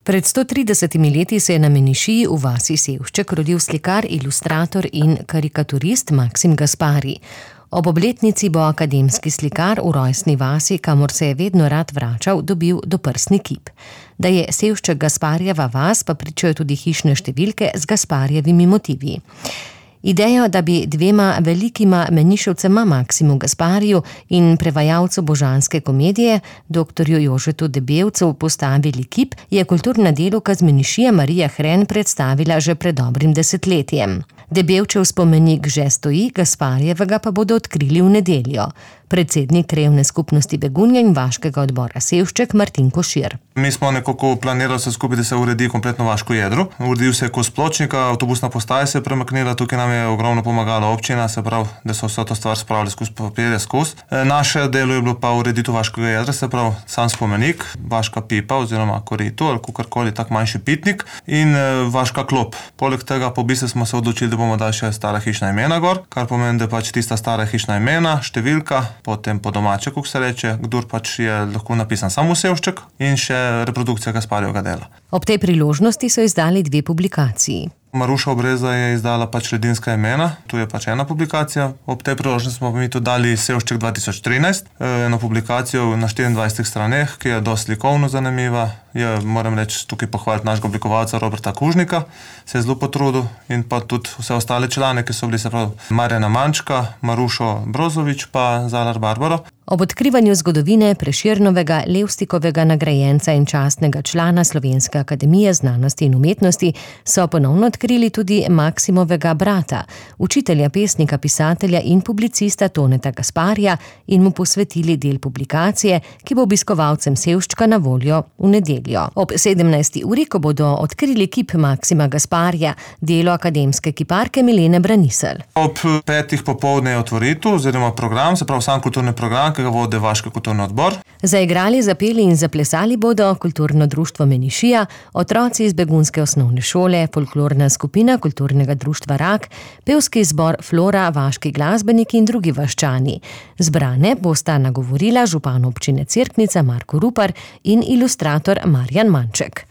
Pred 130 leti se je na Menišiji v vasi Sevšček rodil slikar, ilustrator in karikaturist Maksim Gaspari. Ob obletnici bo akademski slikar v rojstni vasi, kamor se je vedno rad vračal, dobil doprsni kip. Da je Sevšček Gasparjeva vas, pa pričajo tudi hišne številke z Gasparjevimi motivi. Idejo, da bi dvema velikima meniševcema Maksimu Gaspariju in prevajalcu božanske komedije, doktorju Jožetu Debevcu, postavili kip, je kulturna delavka z Menišije Marija Hren predstavila že pred dobrim desetletjem. Debevčev spomenik že stoji, Gasparjevega pa bodo odkrili v nedeljo. Predsednik krajevne skupnosti Begunja in vaškega odbora Sevšček Martin Košir. Mi smo nekako planirali vse skupaj, da se uredi kompletno vaško jedro. Uredil se je kos pločnika, avtobusna postaja se je premaknila, tukaj nam je ogromno pomagala občina, se pravi, da so vso to stvar spravili skozi papirje skozi. Naše delo je bilo pa ureditev vaškega jedra, se pravi, sam spomenik, vaška pipa oziroma korito ali kakorkoli tak manjši pitnik in vaška klop. Poleg tega po bistvu smo se odločili, da bomo dali še stara hišna imena gor, kar pomeni, da pač tista stara hišna imena, številka, potem po domače, kako se reče, kdor pač je lahko napisan samo Sevšček in še reprodukcija Gasparjevega dela. Ob tej priložnosti so izdali 2 publikaciji. Maruša Obreza je izdala pač Ledinska imena, tu je pač ena publikacija. Ob tej priložnosti smo mi tudi dali Sevšček 2013, eno publikacijo na 24 straneh, ki je dosti slikovno zanimiva. Moram reči, tukaj pohvaliti našega oblikovalca Roberta Kužnika, se je zelo potrudil in pa tudi vse ostale člane, ki so bili, se pravi, Marjana Mančka, Marušo Brozovič pa Zalar Barbaro. Ob odkrivanju zgodovine Prešernovega, Levstikovega nagrajenca in častnega člana Slovenske akademije znanosti in umetnosti so ponovno odkrili tudi Maksimovega brata, učitelja, pesnika, pisatelja in publicista Toneta Gasparija in mu posvetili del publikacije, ki bo obiskovalcem Sevščka na voljo v nedeljo. Ob 17. uri, ko bodo odkrili kip Maksima Gasparija, delo akademske kiparke Milene Branisel. Ob 5. popoldne je otvoritev oziroma program, se pravi sam kulturni program, ki ga vodi vaški kulturni odbor. Zaigrali, zapeli in zaplesali bodo kulturno društvo Menišija, otroci iz begunske osnovne šole, folklorna skupina kulturnega društva Rak, pevski zbor Flora, vaški glasbeniki in drugi vaščani. Zbrane bosta nagovorila župan občine Cerknica Marko Rupar in ilustrator Marjan Manček.